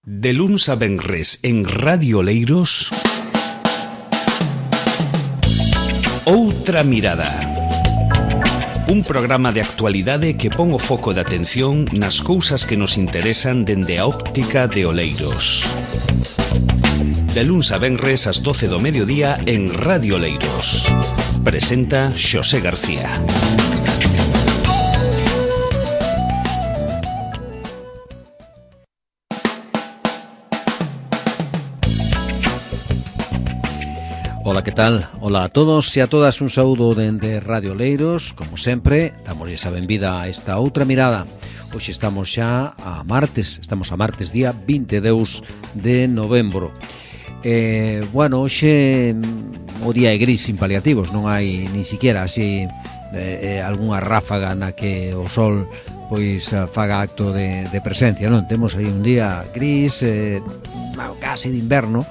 De luns a venres en Radio Oleiros, Outra Mirada. Un programa de actualidade que pon o foco de atención nas cousas que nos interesan dende a óptica de Oleiros. De luns a venres ás 12 do mediodía en Radio Oleiros. Presenta Xosé García. Ola, que tal? Ola a todos e a todas, un saúdo dende Radio Oleiros. Como sempre, damosles a benvida a esta outra mirada. Hoxe estamos xa a martes, día 22 de novembro. Hoxe o día é gris, sin paliativos, non hai ni siquiera así algunha ráfaga na que o sol pois faga acto de presencia, non? Temos aí un día gris, casi de inverno,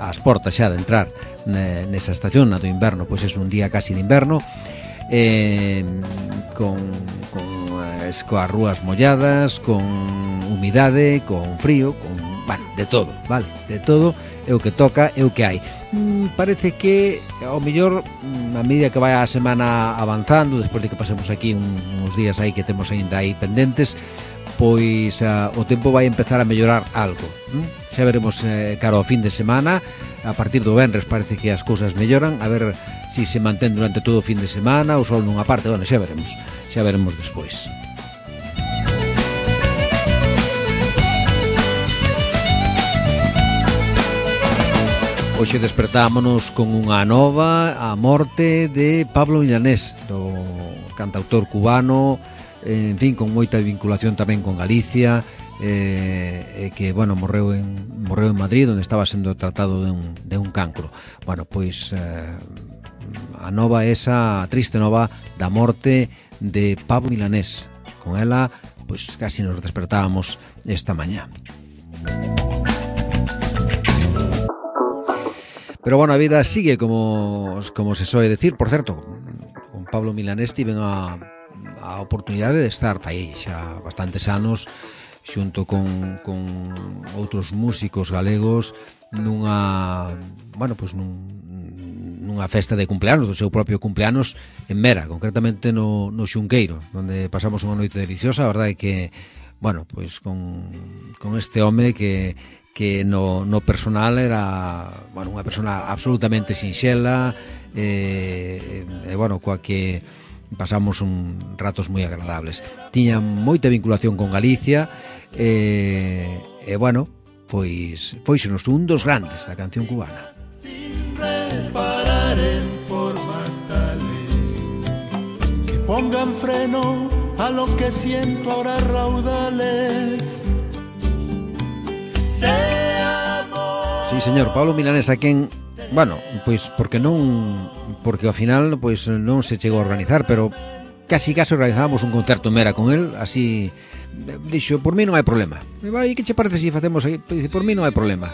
ás portas xa de entrar nesa estación, na do inverno, pois é un día casi de inverno, coas rúas molladas, con humidade, con frío, de todo, vale? De todo é o que toca, é o que hai. Parece que ao mellor a medida que vai a semana avanzando, despois de que pasemos aquí uns días aí que temos ainda aí pendentes, pois o tempo vai empezar a mellorar algo. Xa veremos cara ao fin de semana. A partir do venres parece que as cousas melloran. A ver se se mantén durante todo o fin de semana. O sol nunha parte, xa veremos despois. Hoxe despertámonos con unha nova, a morte de Pablo Milanés, do cantautor cubano, en fin, con moita vinculación tamén con Galicia, que, morreu en Madrid, onde estaba sendo tratado de un cancro. A nova esa, a triste nova da morte de Pablo Milanés. Con ela, pois casi nos despertábamos esta mañá. Pero a vida sigue como se soe decir. Por certo, con Pablo Milanés tiven a oportunidade de estar fai xa bastantes anos xunto con outros músicos galegos nunha festa de cumpleanos, do seu propio cumpleanos en Mera, concretamente no Xunqueiro, onde pasamos unha noite deliciosa. A verdade é que con este home que no personal era unha persona absolutamente sinxela, coa que pasamos ratos moi agradables. Tiña moita vinculación con Galicia foisenos un dos grandes da canción cubana. Sin reparar en formas tales que pongan freno a lo que siento ahora raudales de amor. Sí, señor, Pablo Milanés, a quen porque ao final non se chegou a organizar, pero casi organizábamos un concerto en Mera con el, así dixo, por mí non hai problema. E que che parece se facemos aí? Dice, por mí non hai problema.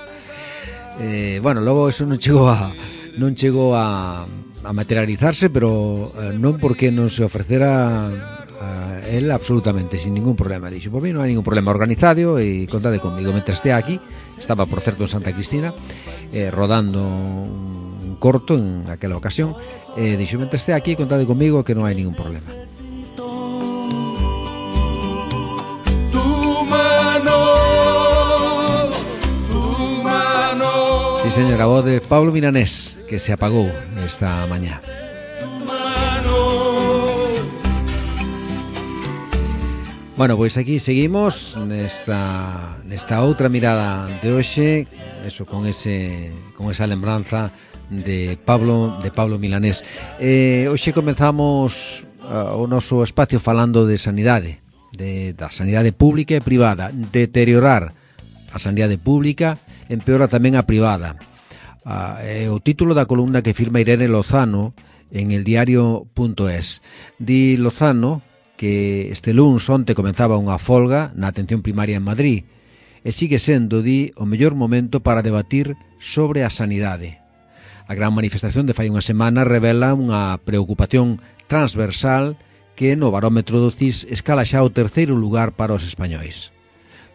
Logo eso non chegou a materializarse, pero non porque non se ofrecera a él absolutamente sin ningún problema. Dixo, por mí non hai ningún problema, organizado, e contade comigo. Mentre estea aquí, estaba por certo en Santa Cristina, rodando un corto en aquela ocasión, dixo, mentre estea aquí, contade comigo que non hai ningún problema. Sí, señora, voz de Pablo Milanés, que se apagou esta mañá. Pois aquí seguimos nesta outra mirada de hoxe, con esa lembranza de Pablo Milanés. Hoxe comenzamos o noso espacio falando de sanidade, da sanidade pública e privada. Deteriorar a sanidade pública empeora tamén a privada. O título da columna que firma Irene Lozano en el diario.es. Di Lozano que este luns onte comenzaba unha folga na atención primaria en Madrid e sigue sendo, di, o mellor momento para debatir sobre a sanidade. A gran manifestación de fai unha semana revela unha preocupación transversal que no barómetro do CIS escala xa o terceiro lugar para os españois.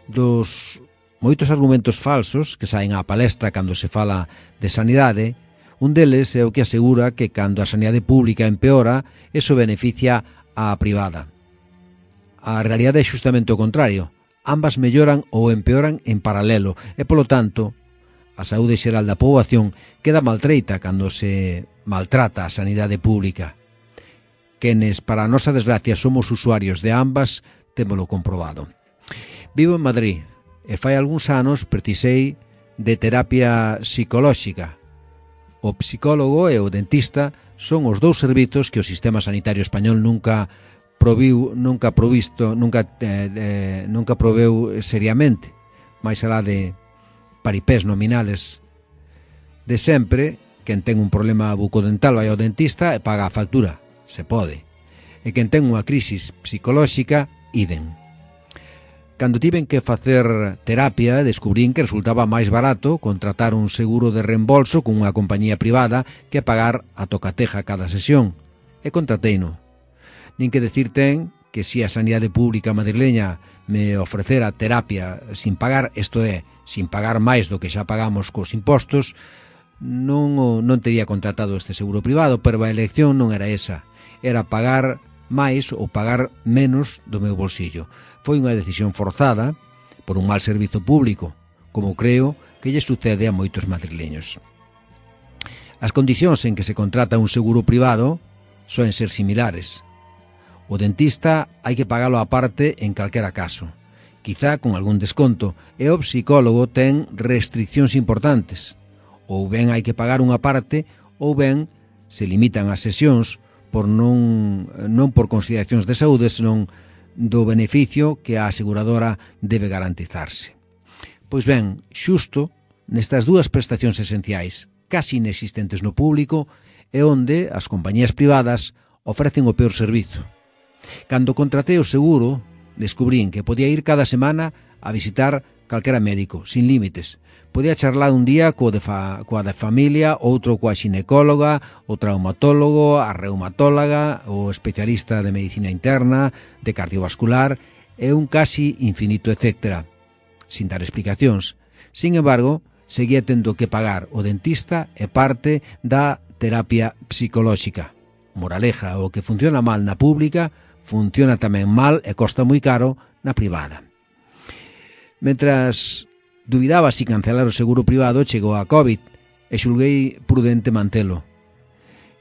Dos moitos argumentos falsos que saen á palestra cando se fala de sanidade. Un deles é o que asegura que cando a sanidade pública empeora, eso beneficia á privada. A realidade é xustamente o contrario. Ambas melloran ou empeoran en paralelo e, polo tanto, a saúde xeral da poboación queda maltreita cando se maltrata a sanidade pública. Quenes, para a nosa desgracia, somos usuarios de ambas, témolo comprobado. Vivo en Madrid e fai algúns anos precisei de terapia psicolóxica. O psicólogo e o dentista son os dous servizos que o sistema sanitario español nunca proveu seriamente, máis alá de paripés nominales de sempre. Quen ten un problema bucodental vai ao dentista e paga a factura, se pode. E quen ten unha crisis psicolóxica, idem. Cando tiven que facer terapia, descubrín que resultaba máis barato contratar un seguro de reembolso con unha compañía privada que pagar a tocateja cada sesión. E contrateino. Nin que decir ten que se a sanidade pública madrileña me ofrecera terapia sin pagar, isto é, sin pagar máis do que xa pagamos cos impostos, non teria contratado este seguro privado, pero a elección non era esa. Era pagar máis ou pagar menos do meu bolsillo. Foi unha decisión forzada por un mal servizo público, como creo que lle sucede a moitos madrileños. As condicións en que se contrata un seguro privado soen ser similares. O dentista hai que pagalo á parte en calquera caso, quizá con algún desconto, e o psicólogo ten restriccións importantes. Ou ben hai que pagar unha parte, ou ben se limitan as sesións non por consideracións de saúde, senón do beneficio que a aseguradora debe garantizarse. Pois ben, xusto nestas dúas prestacións esenciais, casi inexistentes no público, é onde as compañías privadas ofrecen o peor servizo. Cando contratei o seguro, descubrín que podía ir cada semana a visitar calquera médico, sin límites. Podía charlar un día coa da familia, outro coa xinecóloga, o traumatólogo, a reumatóloga, o especialista de medicina interna, de cardiovascular, e un casi infinito etcétera, sin dar explicacións. Sin embargo, seguía tendo que pagar o dentista e parte da terapia psicolóxica. Moraleja, o que funciona mal na pública, funciona tamén mal e costa moi caro na privada. Mentras dubidaba si cancelar o seguro privado, chegou a COVID e xulguei prudente mantelo.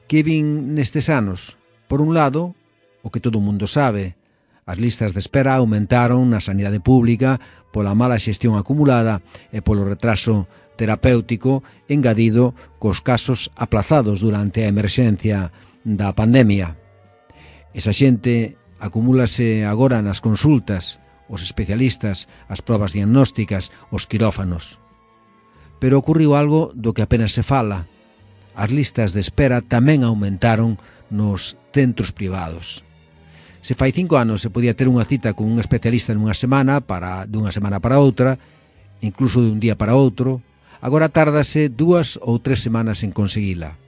Que vin nestes anos? Por un lado, o que todo o mundo sabe, as listas de espera aumentaron na sanidade pública pola mala xestión acumulada e polo retraso terapéutico engadido cos casos aplazados durante a emerxencia da pandemia. Esa xente acumúlase agora nas consultas, os especialistas, as probas diagnósticas, os quirófanos. Pero ocurriu algo do que apenas se fala. As listas de espera tamén aumentaron nos centros privados. Se fai 5 anos se podía ter unha cita con un especialista dunha semana para outra, incluso de un día para outro, agora tárdase 2 ou 3 semanas en conseguila.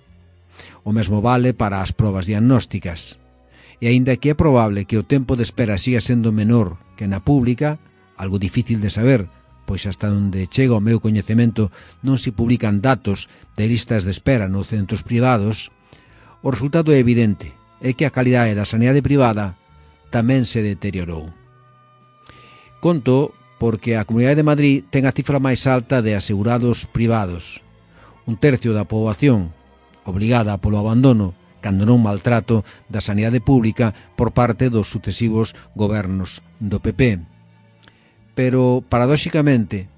O mesmo vale para as probas diagnósticas. E aínda que é probable que o tempo de espera siga sendo menor que na pública, algo difícil de saber, pois hasta onde chega o meu coñecemento non se publican datos de listas de espera nos centros privados, o resultado é evidente, é que a calidade da sanidade privada tamén se deteriorou. Conto porque a Comunidade de Madrid ten a cifra máis alta de asegurados privados. 1/3 da poboación obrigada polo abandono cando non maltrato da sanidade pública por parte dos sucesivos gobernos do PP. Pero, paradóxicamente,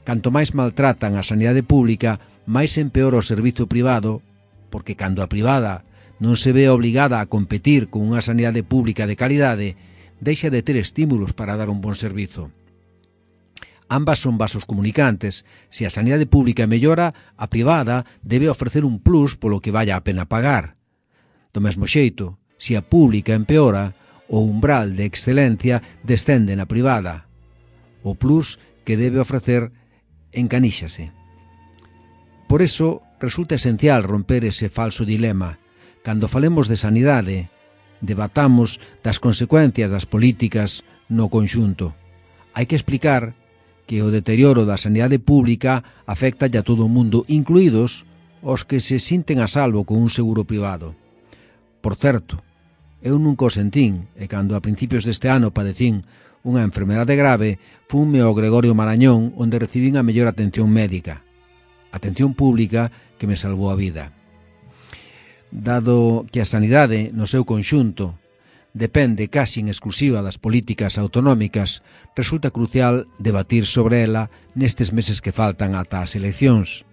canto máis maltratan a sanidade pública, máis empeora o servizo privado, porque cando a privada non se ve obligada a competir con unha sanidade pública de calidade, deixa de ter estímulos para dar un bon servizo. Ambas son vasos comunicantes. Se a sanidade pública mellora, a privada debe ofrecer un plus polo que valla a pena pagar. Do mesmo xeito, se a pública empeora, o umbral de excelencia descende na privada. O plus que debe ofrecer encaníxase. Por eso, resulta esencial romper ese falso dilema. Cando falemos de sanidade, debatamos das consecuencias das políticas no conxunto. Hai que explicar que o deterioro da sanidade pública afecta a todo o mundo, incluídos os que se sinten a salvo con un seguro privado. Por certo, eu nunca o sentín, e cando a principios deste ano padecín unha enfermedade grave, funme ao Gregorio Marañón, onde recibín a mellor atención médica. Atención pública que me salvou a vida. Dado que a sanidade, no seu conxunto, depende casi en exclusiva das políticas autonómicas, resulta crucial debatir sobre ela nestes meses que faltan ata as eleccións.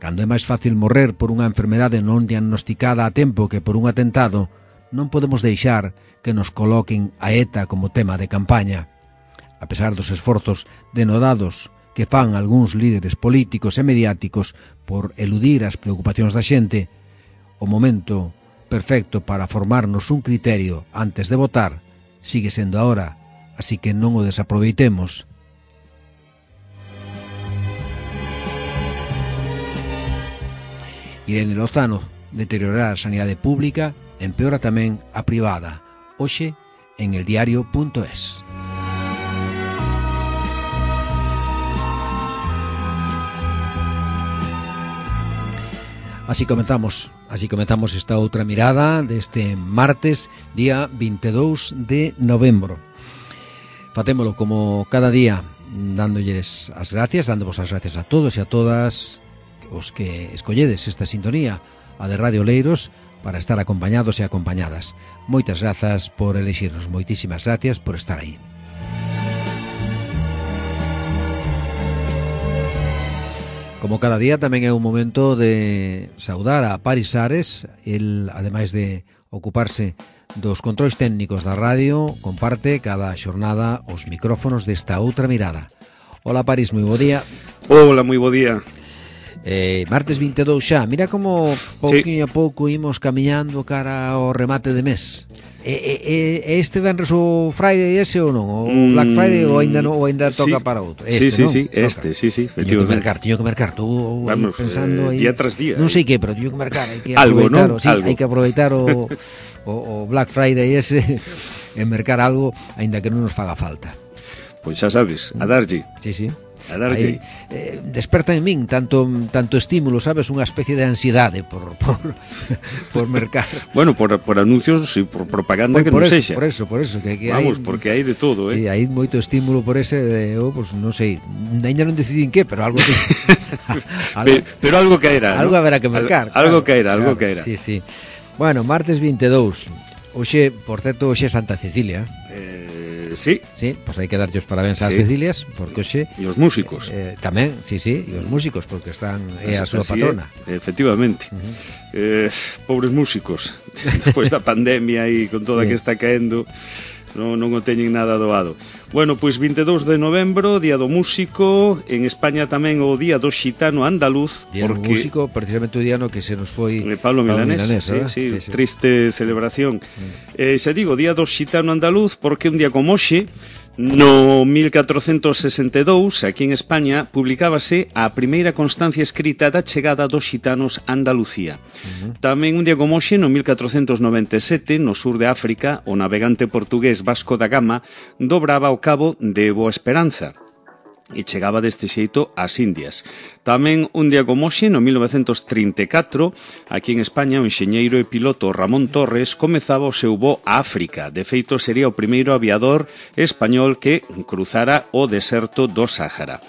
Cando é máis fácil morrer por unha enfermedade non diagnosticada a tempo que por un atentado, non podemos deixar que nos coloquen a ETA como tema de campaña. A pesar dos esforzos denodados que fan algúns líderes políticos e mediáticos por eludir as preocupacións da xente, o momento perfecto para formarnos un criterio antes de votar sigue sendo ahora, así que non o desaproveitemos. Irene Lozano: deteriorar a sanidade pública empeora tamén a privada. Hoxe en eldiario.es. Así comenzamos esta outra mirada deste martes, día 22 de novembro. Fatémolo como cada día, dándolles as gracias, dándovos as gracias a todos e a todas os que escolledes esta sintonía, a de Radio Oleiros, para estar acompañados e acompañadas. Moitas grazas por elexirnos, moitísimas gracias por estar aí. Como cada día, tamén é un momento de saudar a Paris Ares. El, ademais de ocuparse dos controis técnicos da radio, comparte cada xornada os micrófonos desta outra mirada. Hola, Paris, moi bo día. Hola, moi bo día. Martes 22 xa. Mira como pouquinho a pouco imos camiñando cara ao remate de mes. Este venres o Friday ese ou non? O Black Friday ou ainda non, ou ainda toca para outro? Este, sí, efectivamente. Teño que mercar, estou pensando aí. Día tras día. Non sei que, pero teño que mercar, hai que algo, aproveitar, ¿no? Sí, algo. Hai que aproveitar o Black Friday ese e mercar algo, aínda que non nos faga falta. Pois xa sabes, a darlle. Sí. A darlle. Desperta en min tanto estímulo, sabes, unha especie de ansiedade por mercar. Bueno, por anuncios e por propaganda que non sexa. Por eso que vamos, porque hai de todo, Sí, hai moito estímulo por ese pues non sei, ainda non decidín que, pero algo pero algo caerá, algo ¿no? haberá que mercar. Algo caerá. Sí. Bueno, martes 22. Hoxe, por certo, hoxe é Santa Cecilia. Sí, pois hai que darlle os parabéns ás Cecilias, porque hoxe e os músicos tamén, e os músicos, porque están é a súa patrona. Efectivamente. Pobres músicos, despois da pandemia e con toda que está caendo, non o teñen nada doado. Bueno, pois 22 de novembro, Día do Músico. En España tamén o Día do Xitano Andaluz. Día do Músico, precisamente o día no que se nos foi Pablo Milanés, sí, triste celebración. Xa digo, Día do Xitano Andaluz, porque un día como hoxe, no 1462, aquí en España, publicábase a primeira constancia escrita da chegada dos xitanos a Andalucía. Tamén un día como hoxe, no 1497, no sur de África, o navegante portugués Vasco da Gama dobraba o cabo de Boa Esperanza e chegaba deste xeito ás Indias. Tamén un día como hoxe, no 1934, aquí en España, o enxeñeiro e piloto Ramón Torres comezaba o seu voo a África. De feito, sería o primeiro aviador español que cruzara o deserto do Sáhara.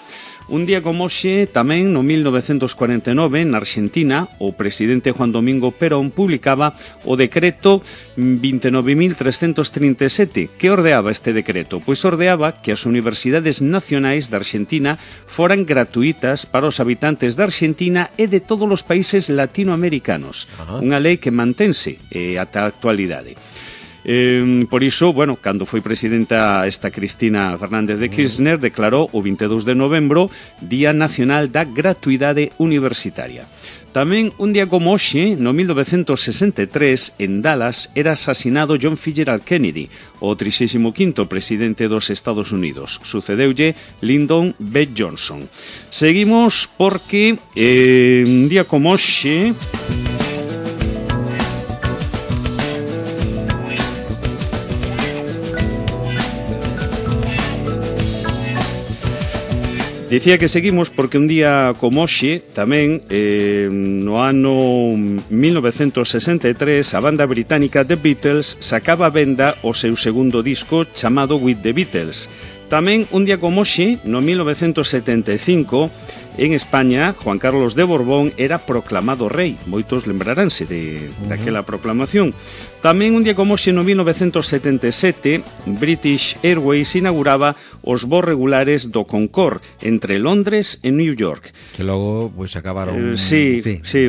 Un día como hoxe, tamén no 1949, na Argentina, o presidente Juan Domingo Perón publicaba o decreto 29.337. Que ordeaba este decreto? Pois ordeaba que as universidades nacionais da Argentina foran gratuitas para os habitantes da Argentina e de todos os países latinoamericanos. Unha lei que mantense ata a actualidade. Por iso, bueno, cando foi presidenta esta Cristina Fernández de Kirchner, declarou o 22 de novembro Día Nacional da Gratuidade Universitaria. Tamén un día como hoxe, no 1963, en Dallas, era asasinado John Fitzgerald Kennedy, o 35º presidente dos Estados Unidos. Sucedeulle Lyndon B. Johnson. Seguimos porque un día como hoxe... Dicía que seguimos porque un día como hoxe, tamén, no ano 1963, a banda británica The Beatles sacaba a venda o seu segundo disco chamado With the Beatles. Tamén, un día como hoxe, no 1975, en España, Juan Carlos de Borbón era proclamado rei. Moitos lembraránse daquela proclamación. Tamén un día como hoxe, no 1977, British Airways inauguraba os voos regulares do Concorde entre Londres e New York. Que logo, pois, acabaron... Sí,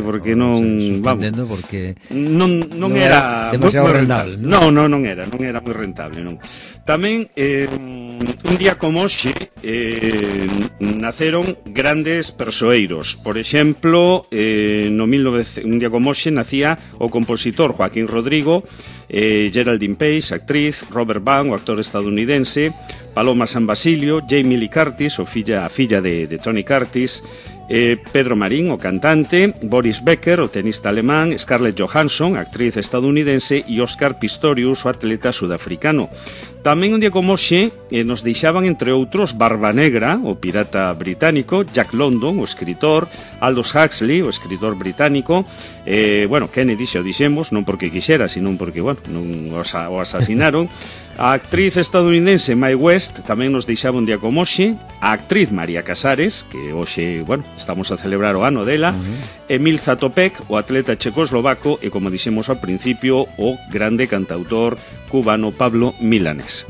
porque non... Suspendendo, porque... Non era demasiado rentable. Non era moi rentable, non. Tamén, un día como hoxe, naceron grandes persoeiros. Por exemplo, un día como hoxe nacía o compositor Joaquín Rodrigo, Geraldine Page, actriz, Robert Vaughn, o actor estadounidense, Paloma San Basilio, Jamie Lee Curtis, a filla de Tony Curtis, Pedro Marín, o cantante, Boris Becker, o tenista alemán, Scarlett Johansson, actriz estadounidense, e Oscar Pistorius, o atleta sudafricano. Tamén un día como hoxe nos deixaban, entre outros, Barba Negra, o pirata británico, Jack London, o escritor, Aldous Huxley, o escritor británico, Kennedy, xa o dixemos, non porque quixera, sino porque, non o asasinaron. A actriz estadounidense Mae West tamén nos deixaba un día como hoxe. A actriz María Casares, que hoxe, estamos a celebrar o ano dela. Emil Zatopek, o atleta checoslovaco, e, como dixemos ao principio, o grande cantautor cubano Pablo Milanés.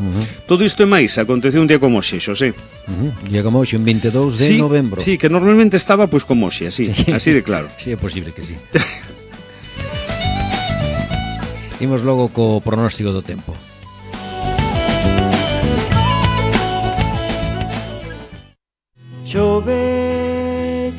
Todo isto e máis aconteceu un día como hoxe, Xosé. Un día como hoxe, un 22 de novembro. Sí, que normalmente estaba pois como hoxe, así de claro. Sí, é posible que sí. Imos logo co pronóstico do tempo. Chove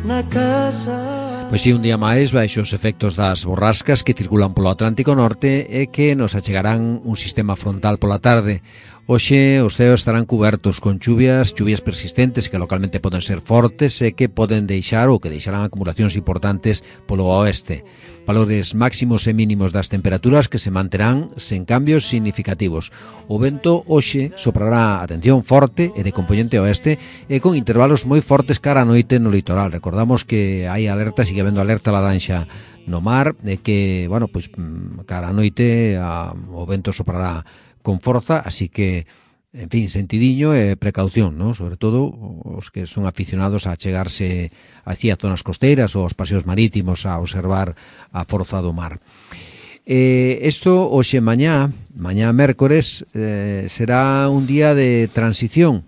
na casa. Pois si, un día máis baixo os efectos das borrascas que circulan polo Atlántico Norte e que nos achegarán un sistema frontal pola tarde. Hoxe os ceos estarán cubertos con chuvias persistentes que localmente poden ser fortes e que poden deixar ou que deixarán acumulacións importantes polo oeste. Valores máximos e mínimos das temperaturas que se manterán sen cambios significativos. O vento hoxe soprará, atención, forte e de componente oeste e con intervalos moi fortes cara a noite no litoral. Recordamos que hai alerta, sigue habendo alerta laranxa no mar e que, cara a noite o vento soprará con forza, así que, en fin, sentidiño e precaución, ¿no? Sobre todo os que son aficionados a chegarse hacia zonas costeiras ou aos paseos marítimos a observar a forza do mar. Isto hoxe mañá mércores, será un día de transición,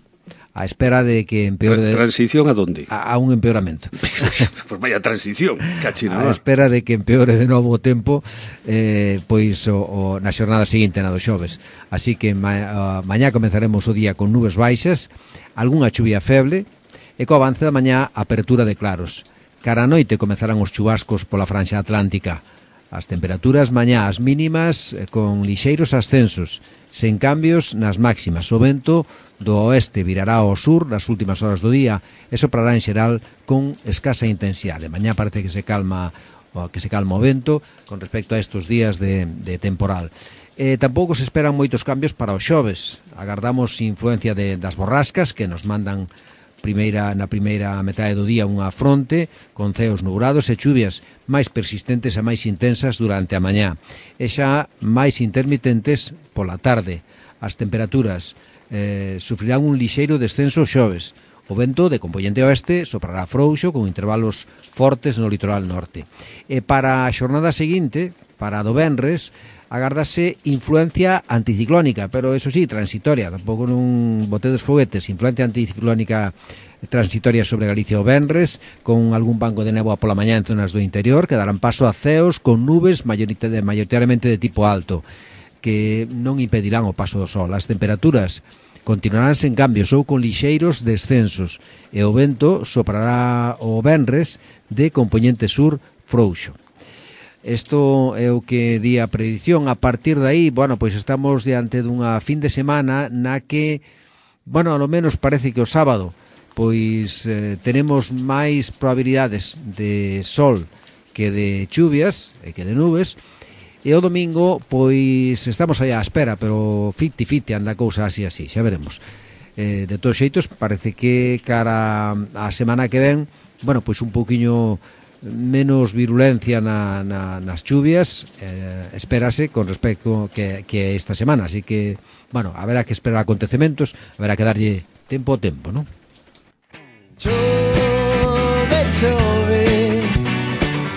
a espera de que empeore... ¿Transición a dónde? A un empeoramento. Pues vaya transición, cachina. A espera de que empeore de novo o tempo, na xornada seguinte, na do xoves. Así que mañá comenzaremos o día con nubes baixas, algunha chuvia feble, e co avance da mañá apertura de claros. Cara a noite comenzarán os chubascos pola franxa atlántica. As temperaturas mañá as mínimas con lixeiros ascensos, sen cambios nas máximas. O vento do oeste virará ao sur nas últimas horas do día e soprará en xeral con escasa intensidade. Mañá parece que se calma o vento con respecto a estes días de temporal. Tampouco se esperan moitos cambios para os xoves. Agardamos influencia das borrascas que nos mandan na primeira metade do día unha fronte con ceos nubrados e chuvias máis persistentes e máis intensas durante a mañá e xa máis intermitentes pola tarde. As temperaturas sufrirán un lixeiro descenso xoves. O vento de componente oeste soprará frouxo con intervalos fortes no litoral norte. E para a xornada seguinte, para do venres, agardase influencia anticiclónica, pero eso sí, transitoria, tampouco non botedes foguetes, influencia anticiclónica transitoria sobre Galicia o venres, con algún banco de néboa pola mañá en zonas do interior, que darán paso a ceos con nubes maioritariamente de tipo alto, que non impedirán o paso do sol. As temperaturas continuarán sen cambios ou con lixeiros descensos, e o vento soprará o venres de componente sur frouxo. Isto é o que di a predición. A partir de aí, pois estamos diante dunha fin de semana na que, ao menos parece que o sábado, pois tenemos máis probabilidades de sol que de chuvias e que de nubes, e o domingo, pois estamos aí á espera, pero 50-50 anda a cousa así, xa veremos. De todos xeitos, parece que cara a semana que ven, bueno, pois un pouquiño menos virulencia nas chuvias, espérase con respecto que esta semana, así que, bueno, haberá que esperar acontecementos, haberá que darlle tempo ao tempo, non? Chove, chove,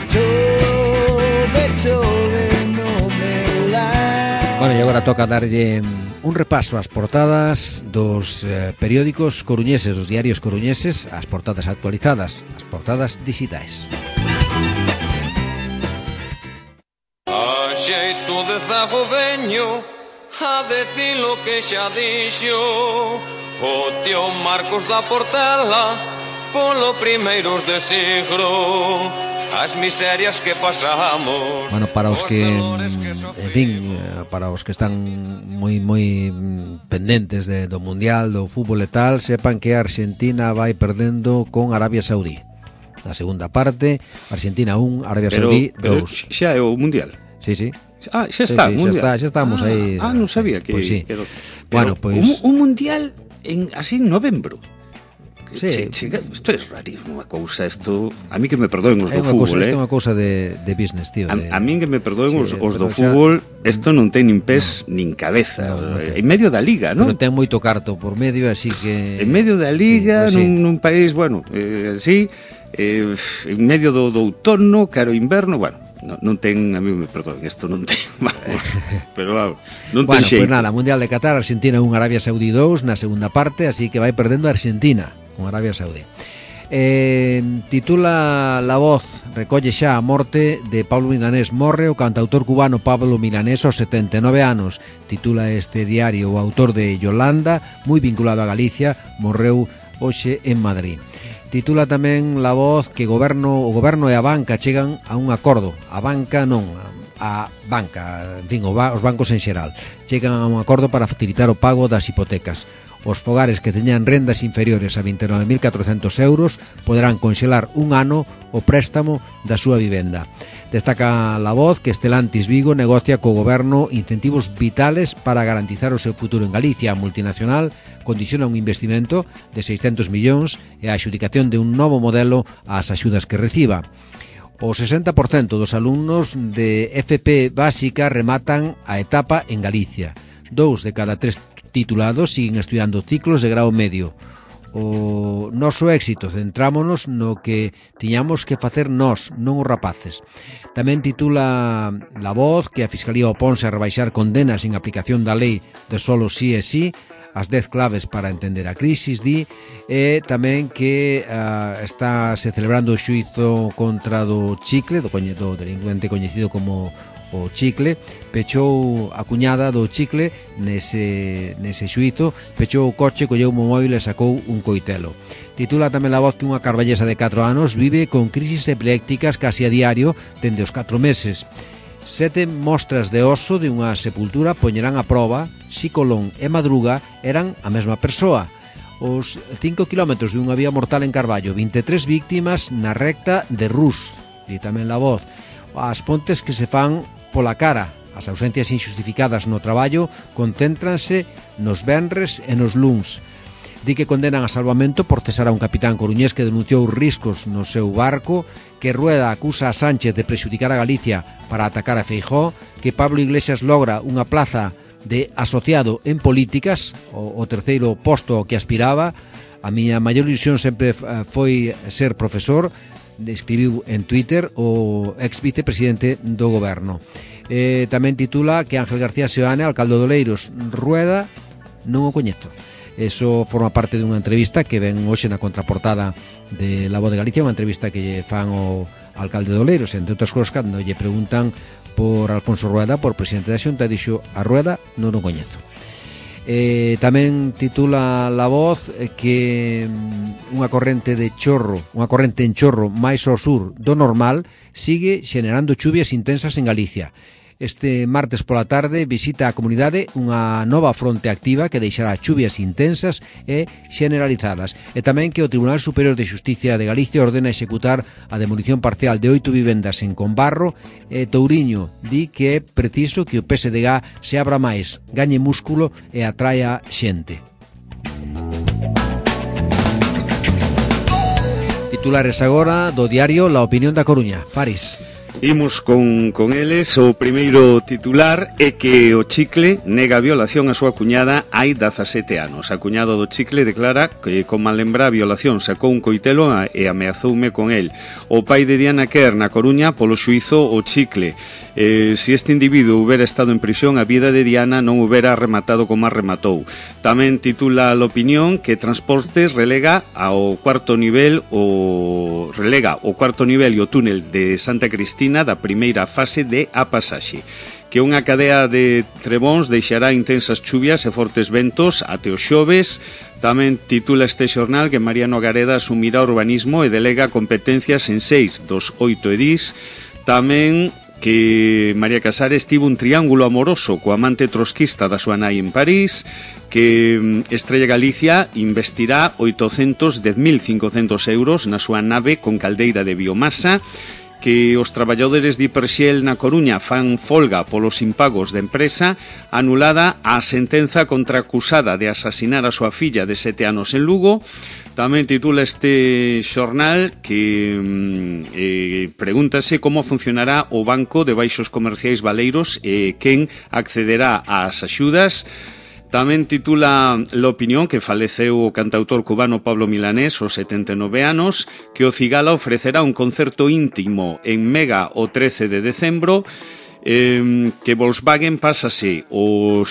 chove, chove no meu lar. Bueno, e agora toca darlle un repaso ás portadas dos periódicos coruñeses, dos diarios coruñeses, as portadas actualizadas, as portadas digitais. A xeito de zago veño a decir lo que xa dixo o tío Marcos da Portela polo primeiros de siglo as miserias que pasamos. Bueno, para os que, en fin, para os que están moi pendentes do Mundial, do fútbol e tal, sepan que a Argentina vai perdendo con Arabia Saudí. Na segunda parte, Argentina 1, Arabia Saudí 2. Xa é o Mundial. Sí, sí. Ah, xa está, sí, Mundial. Xa estamos aí. Non sabía que... Pois sí. Pero, Bueno, pois... Un Mundial así en novembro. Sí. Isto é rarísimo unha cousa, isto... A mí que me perdoen os do fútbol, Isto é unha cousa de business, tío. A mí que me perdoen os do xa... fútbol, isto non ten nin pés nin cabeza. En medio da liga, non? Pero ten moito carto por medio, así que... En medio da liga, sí, pues nun país, bueno, así, en medio do outono, caro inverno, bueno, non ten, a mí me perdoen, isto non ten, vamos, pero vamos, non ten xeito. Pues nada, Mundial de Qatar, Argentina 1, Arabia Saudí 2 na segunda parte, así que vai perdendo Argentina con Arabia Saudí. Titula La Voz, recolle xa a morte de Pablo Milanés. Morre o cantautor cubano Pablo Milanés aos 79 anos. Titula este diario o autor de Yolanda, moi vinculado a Galicia, morreu hoxe en Madrid. Titula tamén La Voz que o goberno e a banca chegan a un acordo. A banca non, a banca, en fin, os bancos en xeral, chegan a un acordo para facilitar o pago das hipotecas. Os fogares que teñan rendas inferiores a 29.400 euros poderán conxelar un ano o préstamo da súa vivenda. Destaca La Voz que Stellantis Vigo negocia co goberno incentivos vitales para garantizar o seu futuro en Galicia. A multinacional condiciona un investimento de 600 millóns e a adxudicación de un novo modelo ás axudas que reciba. O 60% dos alumnos de FP básica rematan a etapa en Galicia. 2 de cada 3 titulados siguen estudando ciclos de grau medio. O noso éxito centrámonos no que tiñamos que facer nós, non os rapaces. Tamén titula La Voz que a Fiscalía oponse a rebaixar condenas en aplicación da lei de solo sí e sí, as 10 claves para entender a crisis, di, e tamén que está se celebrando o xuízo contra do Chicle, do delincuente coñecido como o Chicle. Pechou a cuñada do Chicle nese xuízo, pechou o coche, colleu o móvil e sacou un coitelo. Titula tamén La Voz que unha carballesa de 4 anos vive con crisis epilépticas casi a diario dende os 4 meses. 7 mostras de oso de unha sepultura poñerán a proba si Colón e Madruga eran a mesma persoa. Os 5 kilómetros de unha vía mortal en Carballo, 23 víctimas na recta de Rus. Di tamén La Voz. As pontes que se fan pola cara, as ausencias injustificadas no traballo concéntranse nos venres e nos luns. Di que condenan a salvamento por cesar a un capitán coruñés que denunciou riscos no seu barco, que Rueda acusa a Sánchez de prexudicar a Galicia para atacar a Feijóo, que Pablo Iglesias logra unha plaza de asociado en políticas, o terceiro posto ao que aspiraba. A miña maior ilusión sempre foi ser profesor, escribiu en Twitter o ex vicepresidente do goberno. Tamén titula que Ángel García Seoane, alcalde de Oleiros. Rueda non o coñezo. Eso forma parte dunha entrevista que ven hoxe na contraportada de La Voz de Galicia, unha entrevista que lle fan ao alcalde de Oleiros, entre outras cosas, cando lle preguntan por Alfonso Rueda, por presidente da Xunta, dixo a Rueda non o coñezo. Tamén titula La Voz que unha corrente en chorro máis ao sur do normal sigue xenerando chuvias intensas en Galicia. Este martes pola tarde visita a comunidade unha nova fronte activa que deixará chuvias intensas e generalizadas. E tamén que o Tribunal Superior de Xusticia de Galicia ordena executar a demolición parcial de 8 vivendas en Combarro. E Touriño di que é preciso que o PSDG se abra máis, gañe músculo e atraia xente. Titulares agora do diario La Opinión da Coruña. París. Imos con eles. O primeiro titular é que o Chicle nega a violación a súa cuñada hai 17 anos. A cuñada do Chicle declara que, como lembra a violación, sacou un coitelo e ameazoume con el. O pai de Diana Kerr na Coruña polo xuízo o Chicle. Se este individuo houbera estado en prisión, a vida de Diana non houbera rematado como a rematou. Tamén titula a opinión que Transportes relega o cuarto nivel e o túnel de Santa Cristina da primeira fase de A Pasaxe, que unha cadea de trebóns deixará intensas chuvias e fortes ventos até o xoves. Tamén titula este xornal que Mariano Gareda asumirá urbanismo e delega competencias en 6 dos 8 edís. Tamén que María Casares tivo un triángulo amoroso co amante trotskista da súa nai en París, que Estrella Galicia investirá 810.500 euros na súa nave con caldeira de biomasa, que os traballadores de Hiperxel na Coruña fan folga polos impagos de empresa, anulada a sentenza contra a acusada de asasinar a súa filla de 7 anos en Lugo. Tamén titula este xornal que pregúntase como funcionará o Banco de Baixos Comerciais Valeiros e quen accederá ás axudas. Tamén titula l'opinión que faleceu o cantautor cubano Pablo Milanés aos 79 anos, que o Cigala ofrecerá un concerto íntimo en Mega o 13 de decembro, que Volkswagen pásase o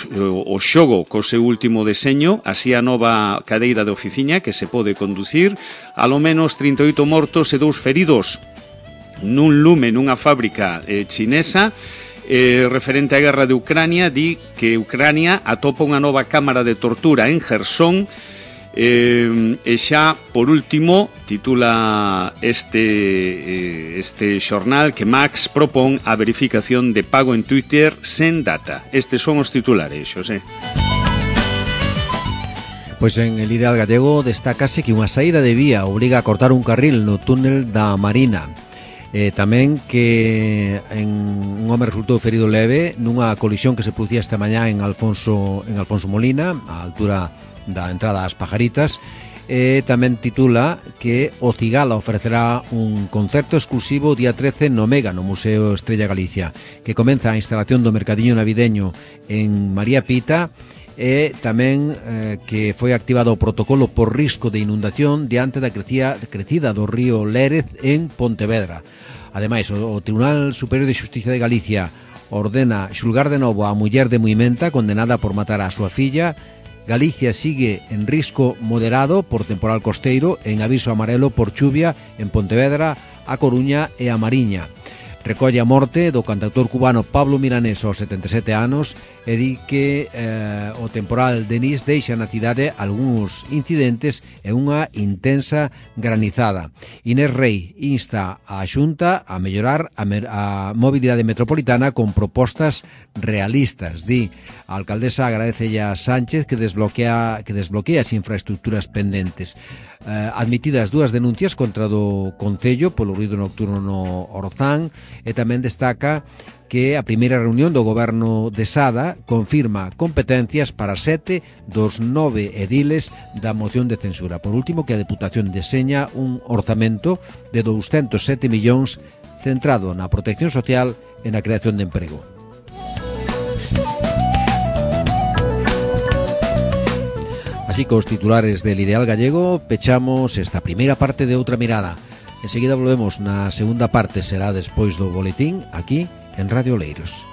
xogo co seu último deseño, así a nova cadeira de oficina que se pode conducir, alo menos 38 mortos e 2 feridos nun lume nunha fábrica chinesa. Referente á guerra de Ucrania, di que Ucrania atopa unha nova cámara de tortura en Gerson. E xa, por último, titula este xornal que Max propón a verificación de pago en Twitter sen data. Estes son os titulares, Xosé. Pois en El Ideal Gallego destácase que unha saída de vía obriga a cortar un carril no túnel da Marina. Tamén que un home resultou ferido leve nunha colisión que se producía esta mañá en Alfonso Molina, á altura da entrada ás Pajaritas. Tamén titula que o Cigala ofrecerá un concerto exclusivo día 13 no Mega, no Museo Estrella Galicia, que comeza a instalación do mercadiño navideño en María Pita. E tamén que foi activado o protocolo por risco de inundación diante da crecida do río Lérez en Pontevedra. Ademais, o Tribunal Superior de Xustiza de Galicia ordena xulgar de novo a muller de Muimenta condenada por matar a súa filla. Galicia sigue en risco moderado por temporal costeiro, en aviso amarelo por chuvia en Pontevedra, A Coruña e a Mariña. Recolle a morte do cantautor cubano Pablo Milanés aos 77 anos e di que o temporal Denis deixa na cidade algúns incidentes e unha intensa granizada. Inés Rei insta a Xunta a mellorar a mobilidade metropolitana con propostas realistas. Di, a alcaldesa agradecelle a Sánchez que desbloquea as infraestructuras pendentes. Admitidas 2 denuncias contra do Concello polo ruído nocturno no Orzán, e tamén destaca que a primeira reunión do goberno de Sada confirma competencias para 7 dos 9 ediles da moción de censura. Por último, que a Deputación deseña un orzamento de 207 millóns centrado na protección social e na creación de emprego. Así, cos titulares del Ideal Gallego, pechamos esta primeira parte de Outra Mirada. Enseguida volvemos na segunda parte, será despois do boletín, aquí en Radio Oleiros.